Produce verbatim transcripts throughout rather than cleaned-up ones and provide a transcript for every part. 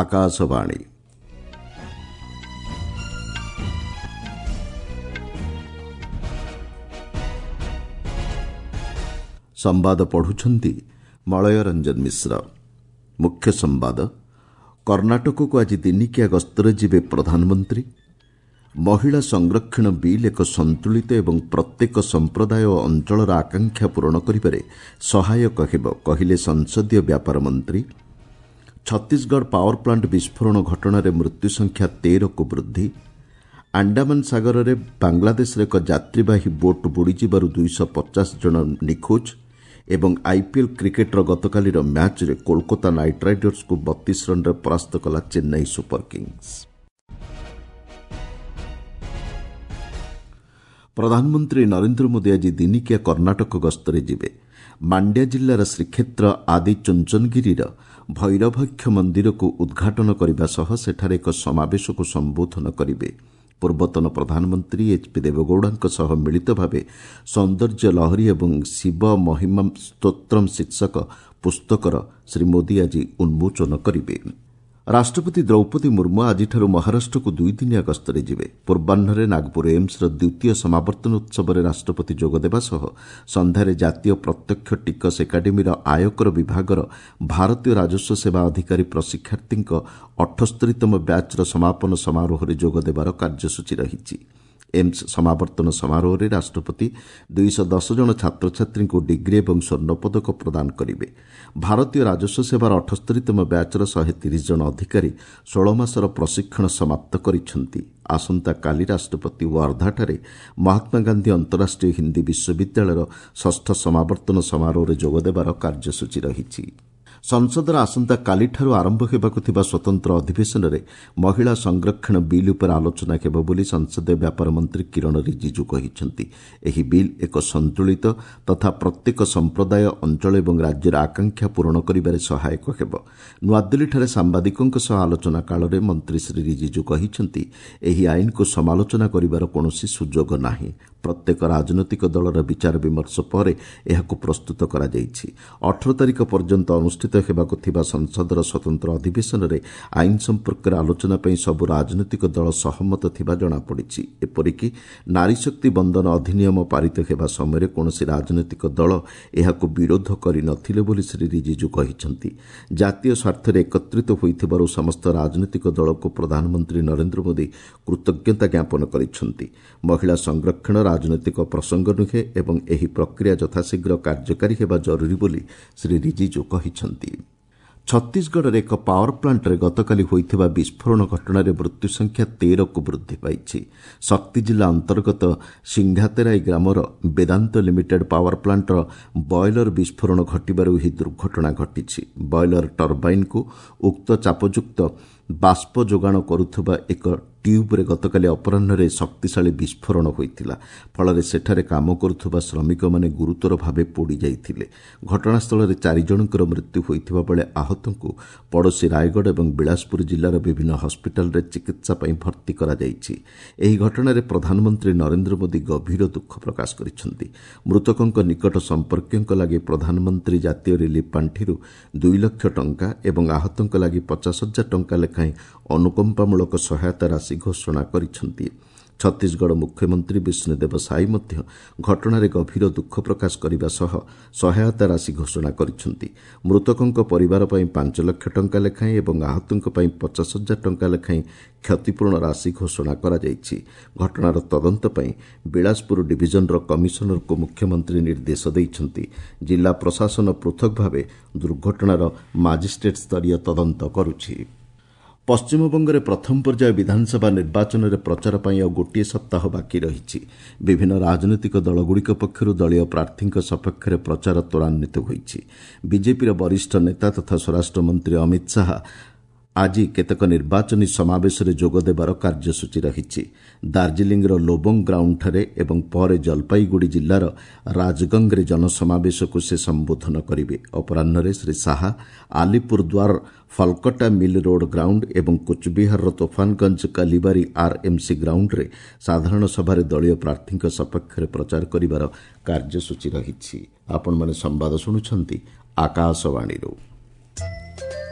ଆକାଶବାଣୀ। ସମ୍ବାଦ ପଢୁଛନ୍ତି ମଳୟ ରଞ୍ଜନ ମିଶ୍ର। ମୁଖ୍ୟ ସମ୍ବାଦ, କର୍ଣ୍ଣାଟକକୁ ଆଜି ଦିନିକିଆ ଗସ୍ତରେ ଯିବେ ପ୍ରଧାନମନ୍ତ୍ରୀ। ମହିଳା ସଂରକ୍ଷଣ ବିଲ୍ ଏକ ସନ୍ତୁଳିତ ଏବଂ ପ୍ରତ୍ୟେକ ସମ୍ପ୍ରଦାୟ ଓ ଅଞ୍ଚଳର ଆକାଂକ୍ଷା ପୂରଣ କରିବାରେ ସହାୟକ ହେବ, କହିଲେ ସଂସଦୀୟ ବ୍ୟାପାର ମନ୍ତ୍ରୀ। ଛତିଶଗଡ଼ ପାୱାର ପ୍ଲାଣ୍ଟ ବିସ୍ଫୋରଣ ଘଟଣାରେ ମୃତ୍ୟୁ ସଂଖ୍ୟା ତେରକୁ ବୃଦ୍ଧି। ଆଣ୍ଡାମାନ ସାଗରରେ ବାଂଲାଦେଶର ଏକ ଯାତ୍ରୀବାହୀ ବୋଟ୍ ବୁଡ଼ିଯିବାରୁ ଦୁଇଶହ ପଚାଶ ଜଣ ନିଖୋଜ ଏବଂ ଆଇପିଏଲ୍ କ୍ରିକେଟ୍ର ଗତକାଲିର ମ୍ୟାଚ୍ରେ କୋଲକାତା ନାଇଟ୍ ରାଇଡର୍ସକୁ ବତିଶ ରନ୍ରେ ପରାସ୍ତ କଲା ଚେନ୍ନାଇ ସୁପର କିଙ୍ଗସ୍। ପ୍ରଧାନମନ୍ତ୍ରୀ ନରେନ୍ଦ୍ର ମୋଦି ଆଜି ଦିନିକିଆ କର୍ଣ୍ଣାଟକ ଗସ୍ତରେ ଯିବେ। ମାଣ୍ଡ୍ୟା ଜିଲ୍ଲାର ଶ୍ରୀକ୍ଷେତ୍ର ଆଦି ଚୁଞ୍ଚନଗିରିର ଭୈରଭକ୍ଷ ମନ୍ଦିରକୁ ଉଦ୍ଘାଟନ କରିବା ସହ ସେଠାରେ ଏକ ସମାବେଶକୁ ସମ୍ବୋଧନ କରିବେ। ପୂର୍ବତନ ପ୍ରଧାନମନ୍ତ୍ରୀ ଏଚ୍ ପି ଦେବେଗୌଡ଼ାଙ୍କ ସହ ମିଳିତ ଭାବେ ସୌନ୍ଦର୍ଯ୍ୟ ଲହରୀ ଏବଂ ଶିବ ମହିମା ସ୍ତୋତ୍ରମ୍ ଶୀର୍ଷକ ପୁସ୍ତକର ଶ୍ରୀ ମୋଦି ଆଜି ଉନ୍ମୋଚନ କରିବେ। ରାଷ୍ଟ୍ରପତି ଦ୍ରୌପଦୀ ମୁର୍ମୁ ଆଜିଠାରୁ ମହାରାଷ୍ଟ୍ରକୁ ଦୁଇଦିନିଆ ଗସ୍ତରେ ଯିବେ। ପୂର୍ବାହ୍ନରେ ନାଗପୁର ଏମ୍ସର ଦ୍ୱିତୀୟ ସମାବର୍ତ୍ତନ ଉତ୍ସବରେ ରାଷ୍ଟ୍ରପତି ଯୋଗଦେବା ସହ ସନ୍ଧ୍ୟାରେ ଜାତୀୟ ପ୍ରତ୍ୟକ୍ଷ ଟିକସ ଏକାଡେମୀର ଆୟକର ବିଭାଗର ଭାରତୀୟ ରାଜସ୍ୱ ସେବା ଅଧିକାରୀ ପ୍ରଶିକ୍ଷାର୍ଥୀଙ୍କ ଅଠସ୍ତରୀତମ ବ୍ୟାଚ୍ର ସମାପନ ସମାରୋହରେ ଯୋଗଦେବାର କାର୍ଯ୍ୟସୂଚୀ ରହିଛି। ଏମ୍ସ ସମାବର୍ତ୍ତନ ସମାରୋହରେ ରାଷ୍ଟ୍ରପତି ଦୁଇଶହ ଦଶ ଜଣ ଛାତ୍ରଛାତ୍ରୀଙ୍କୁ ଡିଗ୍ରୀ ଏବଂ ସ୍ୱର୍ଣ୍ଣପଦକ ପ୍ରଦାନ କରିବେ। ଭାରତୀୟ ରାଜସ୍ୱ ସେବାର ଅଠସ୍ତରୀତମ ବ୍ୟାଚ୍ର ଶହେ ତିରିଶ ଜଣ ଅଧିକାରୀ ଷୋହଳ ମାସର ପ୍ରଶିକ୍ଷଣ ସମାପ୍ତ କରିଛନ୍ତି। ଆସନ୍ତାକାଲି ରାଷ୍ଟ୍ରପତି ୱାର୍ଦ୍ଧାଠାରେ ମହାତ୍ମାଗାନ୍ଧୀ ଅନ୍ତରାଷ୍ଟ୍ରୀୟ ହିନ୍ଦୀ ବିଶ୍ୱବିଦ୍ୟାଳୟର ଷଷ୍ଠ ସମାବର୍ତ୍ତନ ସମାରୋହରେ ଯୋଗଦେବାର କାର୍ଯ୍ୟସୂଚୀ ରହିଛି। ସଂସଦର ଆସନ୍ତାକାଲିଠାରୁ ଆରମ୍ଭ ହେବାକୁ ଥିବା ସ୍ୱତନ୍ତ୍ର ଅଧିବେଶନରେ ମହିଳା ସଂରକ୍ଷଣ ବିଲ୍ ଉପରେ ଆଲୋଚନା ହେବ ବୋଲି ସଂସଦୀୟ ବ୍ୟାପାର ମନ୍ତ୍ରୀ କିରଣ ରିଜିଜୁ କହିଛନ୍ତି। ଏହି ବିଲ୍ ଏକ ସନ୍ତୁଳିତ ତଥା ପ୍ରତ୍ୟେକ ସମ୍ପ୍ରଦାୟ, ଅଞ୍ଚଳ ଏବଂ ରାଜ୍ୟର ଆକାଂକ୍ଷା ପୂରଣ କରିବାରେ ସହାୟକ ହେବ। ନୂଆଦିଲ୍ଲୀଠାରେ ସାମ୍ବାଦିକଙ୍କ ସହ ଆଲୋଚନା କାଳରେ ମନ୍ତ୍ରୀ ଶ୍ରୀ ରିଜିଜୁ କହିଛନ୍ତି, ଏହି ଆଇନକୁ ସମାଲୋଚନା କରିବାର କୌଣସି ସୁଯୋଗ ନାହିଁ। ପ୍ରତ୍ୟେକ ରାଜନୈତିକ ଦଳର ବିଚାର ବିମର୍ଶ ପରେ ଏହାକୁ ପ୍ରସ୍ତୁତ କରାଯାଇଛି। ଅଠର ତାରିଖ ପର୍ଯ୍ୟନ୍ତ ଅନୁଷ୍ଠିତ ହେବାକୁ ଥିବା ସଂସଦର ସ୍ୱତନ୍ତ୍ର ଅଧିବେଶନରେ ଆଇନ ସମ୍ପର୍କରେ ଆଲୋଚନା ପାଇଁ ସବୁ ରାଜନୈତିକ ଦଳ ସହମତ ଥିବା ଜଣାପଡ଼ିଛି। ଏପରିକି ନାରୀଶକ୍ତି ବନ୍ଦନ ଅଧିନିୟମ ପାରିତ ହେବା ସମୟରେ କୌଣସି ରାଜନୈତିକ ଦଳ ଏହାକୁ ବିରୋଧ କରିନଥିଲେ ବୋଲି ଶ୍ରୀ ରିଜିଜୁ କହିଛନ୍ତି। ଜାତୀୟ ସ୍ୱାର୍ଥରେ ଏକତ୍ରିତ ହୋଇଥିବାରୁ ସମସ୍ତ ରାଜନୈତିକ ଦଳକୁ ପ୍ରଧାନମନ୍ତ୍ରୀ ନରେନ୍ଦ୍ର ମୋଦି କୃତଜ୍ଞତା ଜ୍ଞାପନ କରିଛନ୍ତି। ମହିଳା ସଂରକ୍ଷଣ ରାଜନୈତିକ ପ୍ରସଙ୍ଗ ନୁହେଁ ଏବଂ ଏହି ପ୍ରକ୍ରିୟା ଯଥାଶୀଘ୍ର କାର୍ଯ୍ୟକାରୀ ହେବା ଜରୁରୀ ବୋଲି ଶ୍ରୀ ରିଜିଜୁ କହିଛନ୍ତି। ଛତିଶଗଡ଼ରେ ଏକ ପାୱାର ପ୍ଲାଣ୍ଟରେ ଗତକାଲି ହୋଇଥିବା ବିସ୍ଫୋରଣ ଘଟଣାରେ ମୃତ୍ୟୁ ସଂଖ୍ୟା ତେରକୁ ବୃଦ୍ଧି ପାଇଛି। ଶକ୍ତି ଜିଲ୍ଲା ଅନ୍ତର୍ଗତ ସିଂଘାତେରାଇ ଗ୍ରାମର ବେଦାନ୍ତ ଲିମିଟେଡ୍ ପାୱାର ପ୍ଲାଣ୍ଟର ବଏଲର ବିସ୍ଫୋରଣ ଘଟିବାରୁ ଏହି ଦୁର୍ଘଟଣା ଘଟିଛି। ବଏଲର ଟର୍ବାଇନ୍କୁ ଉକ୍ତ ଚାପଯୁକ୍ତ ବାଷ୍ପ ଯୋଗାଣ କରୁଥିବା ଏକ ଟ୍ୟୁବ୍ରେ ଗତକାଲି ଅପରାହ୍ନରେ ଶକ୍ତିଶାଳୀ ବିସ୍ଫୋରଣ ହୋଇଥିଲା। ଫଳରେ ସେଠାରେ କାମ କରୁଥିବା ଶ୍ରମିକମାନେ ଗୁରୁତର ଭାବେ ପୋଡ଼ି ଯାଇଥିଲେ। ଘଟଣାସ୍ଥଳରେ ଚାରି ଜଣଙ୍କର ମୃତ୍ୟୁ ହୋଇଥିବା ବେଳେ ଆହତଙ୍କୁ ପଡ଼ୋଶୀ ରାୟଗଡ଼ ଏବଂ ବିଳାସପୁର ଜିଲ୍ଲାର ବିଭିନ୍ନ ହସ୍ପିଟାଲରେ ଚିକିତ୍ସା ପାଇଁ ଭର୍ତ୍ତି କରାଯାଇଛି। ଏହି ଘଟଣାରେ ପ୍ରଧାନମନ୍ତ୍ରୀ ନରେନ୍ଦ୍ର ମୋଦି ଗଭୀର ଦୁଃଖ ପ୍ରକାଶ କରିଛନ୍ତି। ମୃତକଙ୍କ ନିକଟ ସମ୍ପର୍କୀୟଙ୍କ ଲାଗି ପ୍ରଧାନମନ୍ତ୍ରୀ ଜାତୀୟ ରିଲିଫ୍ ପାଣ୍ଠିରୁ ଦୁଇ ଲକ୍ଷ ଟଙ୍କା ଏବଂ ଆହତଙ୍କ ଲାଗି ପଚାଶ ହଜାର ଟଙ୍କା ଲେଖାଏଁ ଅନୁକମ୍ପାମୂଳକ ସହାୟତା ରାଶି ଘୋଷଣା କରିଛନ୍ତି। ଛତିଶଗଡ଼ ମୁଖ୍ୟମନ୍ତ୍ରୀ ବିଷ୍ଣୁଦେବ ସାଇ ମଧ୍ୟ ଘଟଣାରେ ଗଭୀର ଦୁଃଖ ପ୍ରକାଶ କରିବା ସହ ସହାୟତା ରାଶି ଘୋଷଣା କରିଛନ୍ତି। ମୃତକଙ୍କ ପରିବାର ପାଇଁ ପାଞ୍ଚ ଲକ୍ଷ ଟଙ୍କା ଲେଖାଏଁ ଏବଂ ଆହତଙ୍କ ପାଇଁ ପଚାଶ ହଜାର ଟଙ୍କା ଲେଖାଏଁ କ୍ଷତିପୂରଣ ରାଶି ଘୋଷଣା କରାଯାଇଛି। ଘଟଣାର ତଦନ୍ତ ପାଇଁ ବିଳାସପୁର ଡିଭିଜନର କମିଶନରଙ୍କୁ ମୁଖ୍ୟମନ୍ତ୍ରୀ ନିର୍ଦ୍ଦେଶ ଦେଇଛନ୍ତି। ଜିଲ୍ଲା ପ୍ରଶାସନ ପୃଥକ ଭାବେ ଦୁର୍ଘଟଣାର ମାଜିଷ୍ଟ୍ରେଟ୍ ସ୍ତରୀୟ ତଦନ୍ତ କରୁଛି। ପଶ୍ଚିମବଙ୍ଗରେ ପ୍ରଥମ ପର୍ଯ୍ୟାୟ ବିଧାନସଭା ନିର୍ବାଚନରେ ପ୍ରଚାର ପାଇଁ ଆଉ ଗୋଟିଏ ସପ୍ତାହ ବାକି ରହିଛି। ବିଭିନ୍ନ ରାଜନୈତିକ ଦଳଗୁଡ଼ିକ ପକ୍ଷରୁ ଦଳୀୟ ପ୍ରାର୍ଥୀଙ୍କ ସପକ୍ଷରେ ପ୍ରଚାର ତ୍ୱରାନ୍ୱିତ ହୋଇଛି। ବିଜେପିର ବରିଷ୍ଠ ନେତା ତଥା ସ୍ୱରାଷ୍ଟ୍ରମନ୍ତ୍ରୀ ଅମିତ ଶାହା ଆଜି କେତେକ ନିର୍ବାଚନୀ ସମାବେଶରେ ଯୋଗଦେବାର କାର୍ଯ୍ୟସୂଚୀ ରହିଛି। ଦାର୍ଜିଲିଂର ଲୋବଙ୍ଗ ଗ୍ରାଉଣ୍ଡଠାରେ ଏବଂ ପରେ ଜଲପାଇଗୁଡ଼ି ଜିଲ୍ଲାର ରାଜଗଙ୍ଗରେ ଜନସମାବେଶକୁ ସେ ସମ୍ବୋଧନ କରିବେ। ଅପରାହ୍ନରେ Shri Shah Alipurduar Falakata mill road ground ଏବଂ କୁଚବିହାରର ତୋଫାନଗଞ୍ଜ କାଲିବାରୀ ଆର୍ଏମ୍ସି ଗ୍ରାଉଣ୍ଡରେ ସାଧାରଣ ସଭାରେ ଦଳୀୟ ପ୍ରାର୍ଥୀଙ୍କ ସପକ୍ଷରେ ପ୍ରଚାର କରିବାର କାର୍ଯ୍ୟସୂଚୀ ରହିଛି। ଆପଣମାନେ ସମ୍ବାଦ ଶୁଣୁଛନ୍ତି ଆକାଶବାଣୀରୁ।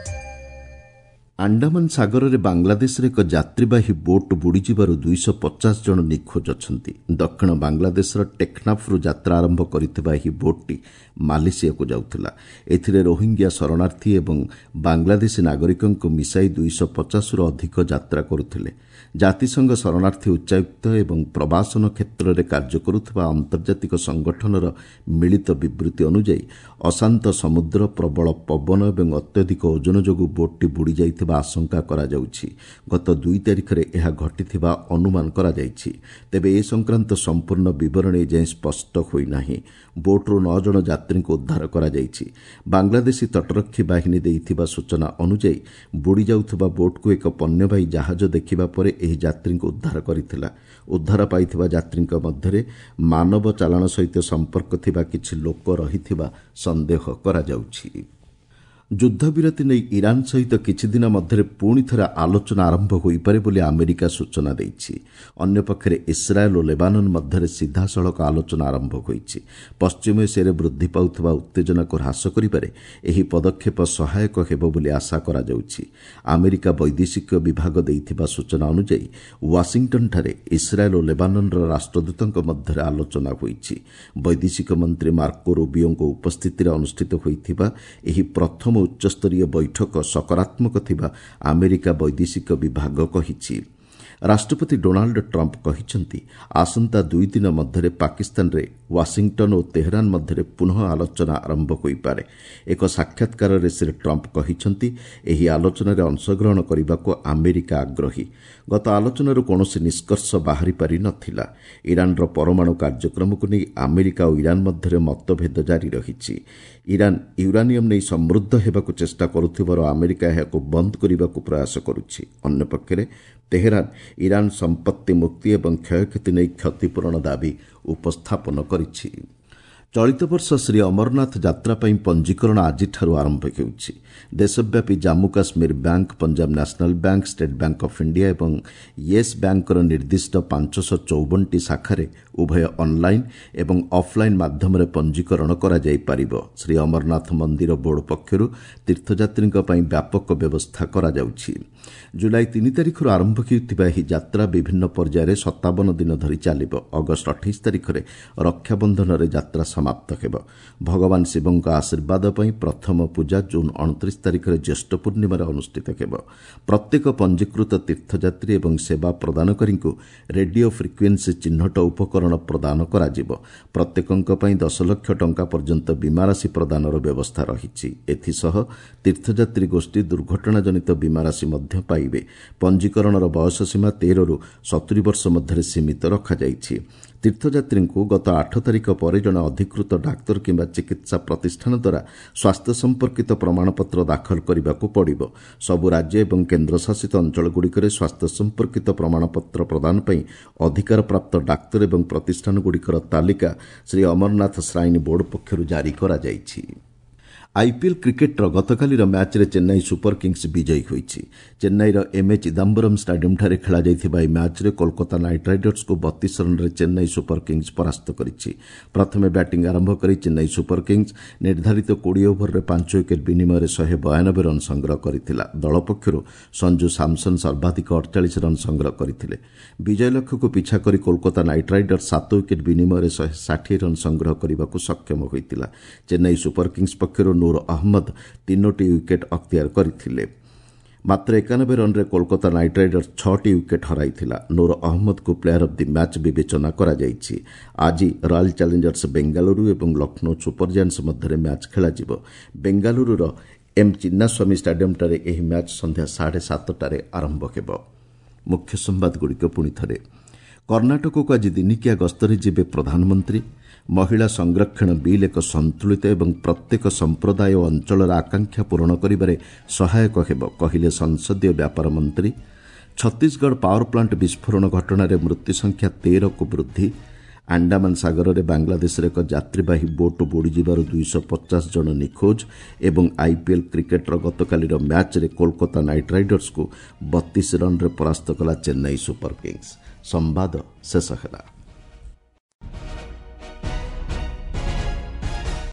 ଆଣ୍ଡାମାନ ସାଗରରେ ବାଂଲାଦେଶରେ ଏକ ଯାତ୍ରୀବାହୀ ବୋଟ୍ ବୁଡ଼ିଯିବାରୁ ଦୁଇଶହ ପଚାଶ ଜଣ ନିଖୋଜ ଅଛନ୍ତି। ଦକ୍ଷିଣ ବାଂଲାଦେଶର ଟେକ୍ନାଫ୍ରୁ ଯାତ୍ରା ଆରମ୍ଭ କରିଥିବା ଏହି ବୋଟ୍ଟି ମାଲେସିଆକୁ ଯାଉଥିଲା। ଏଥିରେ ରୋହିଙ୍ଗ୍ୟା ଶରଣାର୍ଥୀ ଏବଂ ବାଂଲାଦେଶୀ ନାଗରିକଙ୍କୁ ମିଶାଇ ଦୁଇଶହ ପଚାଶରୁ ଅଧିକ ଯାତ୍ରା କରୁଥିଲେ। ଜାତିସଂଘ ଶରଣାର୍ଥୀ ଉଚ୍ଚାୟୁକ୍ତ ଏବଂ ପ୍ରବାସନ କ୍ଷେତ୍ରରେ କାର୍ଯ୍ୟ କରୁଥିବା ଆନ୍ତର୍ଜାତିକ ସଂଗଠନର ମିଳିତ ବିବୃତ୍ତି ଅନୁଯାୟୀ ଅଶାନ୍ତ ସମୁଦ୍ର, ପ୍ରବଳ ପବନ ଏବଂ ଅତ୍ୟଧିକ ଓଜନ ଯୋଗୁଁ ବୋଟ୍ଟି ବୁଡ଼ିଯାଇଥିବା ଆଶଙ୍କା କରାଯାଉଛି। ଗତ ଦୁଇ ତାରିଖରେ ଏହା ଘଟିଥିବା ଅନୁମାନ କରାଯାଇଛି। ତେବେ ଏ ସଂକ୍ରାନ୍ତ ସମ୍ପୂର୍ଣ୍ଣ ବିବରଣୀ ଏଯାଏଁ ସ୍ପଷ୍ଟ ହୋଇନାହିଁ। ବୋଟ୍ରୁ ନଅ ଜଣ ଯାତ୍ରୀଙ୍କୁ ଉଦ୍ଧାର କରାଯାଇଛି। ବାଂଲାଦେଶୀ ତଟରକ୍ଷୀ ବାହିନୀ ଦେଇଥିବା ସୂଚନା ଅନୁଯାୟୀ ବୁଡ଼ିଯାଉଥିବା ବୋଟ୍କୁ ଏକ ପଣ୍ୟବାହୀ ଜାହାଜ ଦେଖିବା ପରେ ଏହି ଯାତ୍ରୀଙ୍କୁ ଉଦ୍ଧାର କରିଥିଲା। ଉଦ୍ଧାର ପାଇଥିବା ଯାତ୍ରୀଙ୍କ ମଧ୍ୟରେ ମାନବ ଚାଲାଣ ସହିତ ସମ୍ପର୍କ ଥିବା କିଛି ଲୋକ ରହିଥିବା ସନ୍ଦେହ କରାଯାଉଛି। ଯୁଦ୍ଧବିରତି ନେଇ ଇରାନ୍ ସହିତ କିଛିଦିନ ମଧ୍ୟରେ ପୁଣି ଥରେ ଆଲୋଚନା ଆରମ୍ଭ ହୋଇପାରେ ବୋଲି ଆମେରିକା ସୂଚନା ଦେଇଛି। ଅନ୍ୟପକ୍ଷରେ ଇସ୍ରାଏଲ୍ ଓ ଲେବାନନ୍ ମଧ୍ୟରେ ସିଧାସଳଖ ଆଲୋଚନା ଆରମ୍ଭ ହୋଇଛି। ପଶ୍ଚିମ ଏସିଆରେ ବୃଦ୍ଧି ପାଉଥିବା ଉତ୍ତେଜନାକୁ ହ୍ରାସ କରିବାରେ ଏହି ପଦକ୍ଷେପ ସହାୟକ ହେବ ବୋଲି ଆଶା କରାଯାଉଛି। ଆମେରିକା ବୈଦେଶିକ ବିଭାଗ ଦେଇଥିବା ସୂଚନା ଅନୁଯାୟୀ ୱାଶିଂଟନ୍ଠାରେ ଇସ୍ରାଏଲ୍ ଓ ଲେବାନନ୍ର ରାଷ୍ଟ୍ରଦୂତଙ୍କ ମଧ୍ୟରେ ଆଲୋଚନା ହୋଇଛି। ବୈଦେଶିକ ମନ୍ତ୍ରୀ ମାର୍କୋ ରୁବିଓଙ୍କ ଉପସ୍ଥିତିରେ ଅନୁଷ୍ଠିତ ହୋଇଥିବା ଏହି ପ୍ରଥମ ଉଚ୍ଚସ୍ତରୀୟ ବୈଠକ ସକାରାତ୍ମକ ଥିବା ଆମେରିକା ବୈଦେଶିକ ବିଭାଗ କହିଛି। ରାଷ୍ଟ୍ରପତି ଡୋନାଲ୍ଡ ଟ୍ରମ୍ପ କହିଛନ୍ତି, ଆସନ୍ତା ଦୁଇ ଦିନ ମଧ୍ୟରେ ପାକିସ୍ତାନରେ ୱାଶିଂଟନ୍ ଓ ତେହରାନ ମଧ୍ୟରେ ପୁନଃ ଆଲୋଚନା ଆରମ୍ଭ ହୋଇପାରେ। ଏକ ସାକ୍ଷାତକାରରେ ଶ୍ରୀ ଟ୍ରମ୍ପ କହିଛନ୍ତି, ଏହି ଆଲୋଚନାରେ ଅଂଶଗ୍ରହଣ କରିବାକୁ ଆମେରିକା ଆଗ୍ରହୀ। ଗତ ଆଲୋଚନାରୁ କୌଣସି ନିଷ୍କର୍ଷ ବାହାରି ପାରି ନଥିଲା। ଇରାନର ପରମାଣୁ କାର୍ଯ୍ୟକ୍ରମକୁ ନେଇ ଆମେରିକା ଓ ଇରାନ ମଧ୍ୟରେ ମତଭେଦ ଜାରି ରହିଛି। ଇରାନ ୟୁରାନିୟମ୍ ନେଇ ସମୃଦ୍ଧ ହେବାକୁ ଚେଷ୍ଟା କରୁଥିବାରୁ ଆମେରିକା ଏହାକୁ ବନ୍ଦ କରିବାକୁ ପ୍ରୟାସ କରୁଛି। ଅନ୍ୟପକ୍ଷରେ ତେହେରାନ ଇରାନ ସମ୍ପତ୍ତି ମୁକ୍ତି ଏବଂ କ୍ଷୟକ୍ଷତି ନେଇ କ୍ଷତିପୂରଣ ଦାବି ଉପସ୍ଥାପନ କରିଛି। ଚଳିତ ବର୍ଷ ଶ୍ରୀ ଅମରନାଥ ଯାତ୍ରା ପାଇଁ ପଞ୍ଜୀକରଣ ଆଜିଠାରୁ ଆରମ୍ଭ ହେଉଛି। ଦେଶବ୍ୟାପୀ Jammu Kashmir bank, Punjab national bank, state bank of India ଏବଂ ୟେସ୍ ବ୍ୟାଙ୍କର ନିର୍ଦ୍ଦିଷ୍ଟ ପାଞ୍ଚଶହ ଚଉବନଟି ଶାଖାରେ ଉଭୟ ଅନ୍ଲାଇନ୍ ଏବଂ ଅଫ୍ଲାଇନ୍ ମାଧ୍ୟମରେ ପଞ୍ଜୀକରଣ କରାଯାଇପାରିବ। ଶ୍ରୀ ଅମରନାଥ ମନ୍ଦିର ବୋର୍ଡ ପକ୍ଷରୁ ତୀର୍ଥଯାତ୍ରୀଙ୍କ ପାଇଁ ବ୍ୟାପକ ବ୍ୟବସ୍ଥା କରାଯାଉଛି। ଜୁଲାଇ ତିନି ତାରିଖରୁ ଆରମ୍ଭ ହେଉଥିବା ଏହି ଯାତ୍ରା ବିଭିନ୍ନ ପର୍ଯ୍ୟାୟରେ ସତାବନ ଦିନ ଧରି ଚାଲିବ। ଅଗଷ୍ଟ ଅଠେଇଶ ତାରିଖରେ ରକ୍ଷାବନ୍ଧନରେ ଯାତ୍ରା ସମାପ୍ତ ହେବ। ଭଗବାନ ଶିବଙ୍କ ଆଶୀର୍ବାଦ ପାଇଁ ପ୍ରଥମ ପୂଜା ଜୁନ୍ ଅଣତିରିଶ ତାରିଖରେ ଜ୍ୟେଷ୍ଠ ପୂର୍ଣ୍ଣିମାରେ ଅନୁଷ୍ଠିତ ହେବ। ପ୍ରତ୍ୟେକ ପଞ୍ଜୀକୃତ ତୀର୍ଥଯାତ୍ରୀ ଏବଂ ସେବା ପ୍ରଦାନକାରୀଙ୍କୁ ରେଡିଓ ଫ୍ରିକ୍ୱେନ୍ସି ଚିହ୍ନଟ ଉପକରଣ ପ୍ରଦାନ କରାଯିବ। ପ୍ରତ୍ୟେକଙ୍କ ପାଇଁ ଦଶ ଲକ୍ଷ ଟଙ୍କା ପର୍ଯ୍ୟନ୍ତ ବୀମାରାଶି ପ୍ରଦାନର ବ୍ୟବସ୍ଥା ରହିଛି। ଏଥିସହ ତୀର୍ଥଯାତ୍ରୀ ଗୋଷ୍ଠୀ ଦୁର୍ଘଟଣାଜନିତ ବୀମାରାଶି ମଧ୍ୟ ପାଇବେ। ପଞ୍ଜୀକରଣର ବୟସ ସୀମା ତେରରୁ ସତୁରି ବର୍ଷ ମଧ୍ୟରେ ସୀମିତ ରଖାଯାଇଛି। ତୀର୍ଥଯାତ୍ରୀଙ୍କୁ ଗତ ଆଠ ତାରିଖ ପରେ ଜଣେ ଅଧିକୃତ ଡାକ୍ତର କିମ୍ବା ଚିକିତ୍ସା ପ୍ରତିଷ୍ଠାନ ଦ୍ୱାରା ସ୍ୱାସ୍ଥ୍ୟ ସମ୍ପର୍କିତ ପ୍ରମାଣପତ୍ର ଦାଖଲ କରିବାକୁ ପଡ଼ିବ। ସବୁ ରାଜ୍ୟ ଏବଂ କେନ୍ଦ୍ରଶାସିତ ଅଞ୍ଚଳଗୁଡ଼ିକରେ ସ୍ୱାସ୍ଥ୍ୟ ସମ୍ପର୍କିତ ପ୍ରମାଣପତ୍ର ପ୍ରଦାନ ପାଇଁ ଅଧିକାରପ୍ରାପ୍ତ ଡାକ୍ତର ଏବଂ ପ୍ରତିଷ୍ଠାନଗୁଡ଼ିକର ତାଲିକା ଶ୍ରୀ ଅମରନାଥ ଶ୍ରାଇନ୍ ବୋର୍ଡ ପକ୍ଷରୁ ଜାରି କରାଯାଇଛି। ଆଇପିଏଲ୍ କ୍ରିକେଟ୍ର ଗତକାଲିର ମ୍ୟାଚ୍ରେ ଚେନ୍ନାଇ ସୁପର କିଙ୍ଗସ୍ ବିଜୟୀ ହୋଇଛି। ଚେନ୍ନାଇର ଏମ୍ଏ ଚିଦାମ୍ବରମ୍ ଷ୍ଟାଡିୟମ୍ଠାରେ ଖେଳାଯାଇଥିବା ଏହି ମ୍ୟାଚ୍ରେ କୋଲକାତା ନାଇଟ୍ ରାଇଡର୍ସକୁ ବତିଶ ରନ୍ରେ ଚେନ୍ନାଇ ସୁପର କିଙ୍ଗସ୍ ପରାସ୍ତ କରିଛି। ପ୍ରଥମେ ବ୍ୟାଟିଂ ଆରମ୍ଭ କରି ଚେନ୍ନାଇ ସୁପର କିଙ୍ଗସ୍ ନିର୍ଦ୍ଧାରିତ କୋଡ଼ିଏ ଓଭରରେ ପାଞ୍ଚ ୱିକେଟ୍ ବିନିମୟରେ ଶହେ ବୟାନବେ ରନ୍ ସଂଗ୍ରହ କରିଥିଲା। ଦଳ ପକ୍ଷରୁ ସଞ୍ଜୁ ସାମସନ୍ ସର୍ବାଧିକ ଅଠଚାଳିଶ ରନ୍ ସଂଗ୍ରହ କରିଥିଲେ। ବିଜୟ ଲକ୍ଷ୍ୟକୁ ପିଛା କରି କୋଲକାତା ନାଇଟ୍ ରାଇଡର୍ସ ସାତ ୱିକେଟ୍ ବିନିମୟରେ ଶହେ ଷାଠିଏ ରନ୍ ସଂଗ୍ରହ କରିବାକୁ ସକ୍ଷମ ହୋଇଥିଲା। ଚେନ୍ନାଇ ସୁପର କିଙ୍ଗସ୍ ପକ୍ଷରୁ ନୂର ଅହମ୍ମଦ ତିନୋଟି ୱିକେଟ୍ ଅକ୍ତିଆର କରିଥିଲେ। ମାତ୍ର ଏକାନବେ ରନ୍ରେ କୋଲକାତା ନାଇଟ୍ ରାଇଡର୍ସ ଛଅଟି ୱିକେଟ୍ ହରାଇଥିଲା। ନୂର ଅହମ୍ମଦଙ୍କୁ ପ୍ଲେୟାର ଅଫ୍ the match ବିବେଚନା କରାଯାଇଛି। ଆଜି ରୟାଲ୍ ଚ୍ୟାଲେଞ୍ଜର୍ସ ବେଙ୍ଗାଲୁରୁ ଏବଂ ଲକ୍ଷ୍ନୌ ସୁପର ଜାଏଣ୍ଟସ୍ ମଧ୍ୟରେ ମ୍ୟାଚ୍ ଖେଳାଯିବ। ବେଙ୍ଗାଲୁରୁର ଏମ୍ ଚିନ୍ନାସ୍ୱାମୀ ଷ୍ଟାଡିୟମ୍ଠାରେ ଏହି ମ୍ୟାଚ୍ ସନ୍ଧ୍ୟା ସାଢ଼େ ସାତଟାରେ ଆରମ୍ଭ ହେବ। ମୁଖ୍ୟ ସମ୍ବାଦଗୁଡ଼ିକ ପୁଣି ଥରେ। କର୍ଣ୍ଣାଟକକୁ ଆଜି ଦିନିକିଆ ଗସ୍ତରେ ଯିବେ ପ୍ରଧାନମନ୍ତ୍ରୀ। ମହିଳା ସଂରକ୍ଷଣ ବିଲ୍ ଏକ ସନ୍ତୁଳିତ ଏବଂ ପ୍ରତ୍ୟେକ ସମ୍ପ୍ରଦାୟ ଓ ଅଞ୍ଚଳର ଆକାଂକ୍ଷା ପୂରଣ କରିବାରେ ସହାୟକ ହେବ, କହିଲେ ସଂସଦୀୟ ବ୍ୟାପାର ମନ୍ତ୍ରୀ। ଛତିଶଗଡ଼ ପାୱାର ପ୍ଲାଣ୍ଟ ବିସ୍ଫୋରଣ ଘଟଣାରେ ମୃତ୍ୟୁ ସଂଖ୍ୟା ତେରକୁ ବୃଦ୍ଧି। ଆଣ୍ଡାମାନ ସାଗରରେ ବାଂଲାଦେଶର ଏକ ଯାତ୍ରୀବାହୀ ବୋଟ୍ ବୁଡ଼ିଯିବାରୁ ଦୁଇଶହ ପଚାଶ ଜଣ ନିଖୋଜ। ଏବଂ ଆଇପିଏଲ୍ କ୍ରିକେଟ୍ର ଗତକାଲିର ମ୍ୟାଚ୍ରେ କୋଲକାତା ନାଇଟ୍ ରାଇଡର୍ସକୁ ବତିଶ ରନ୍ରେ ପରାସ୍ତ କଲା ଚେନ୍ନାଇ ସୁପର କିଙ୍ଗସ୍। ସମ୍ବାଦ ଶେଷ ହେଲା।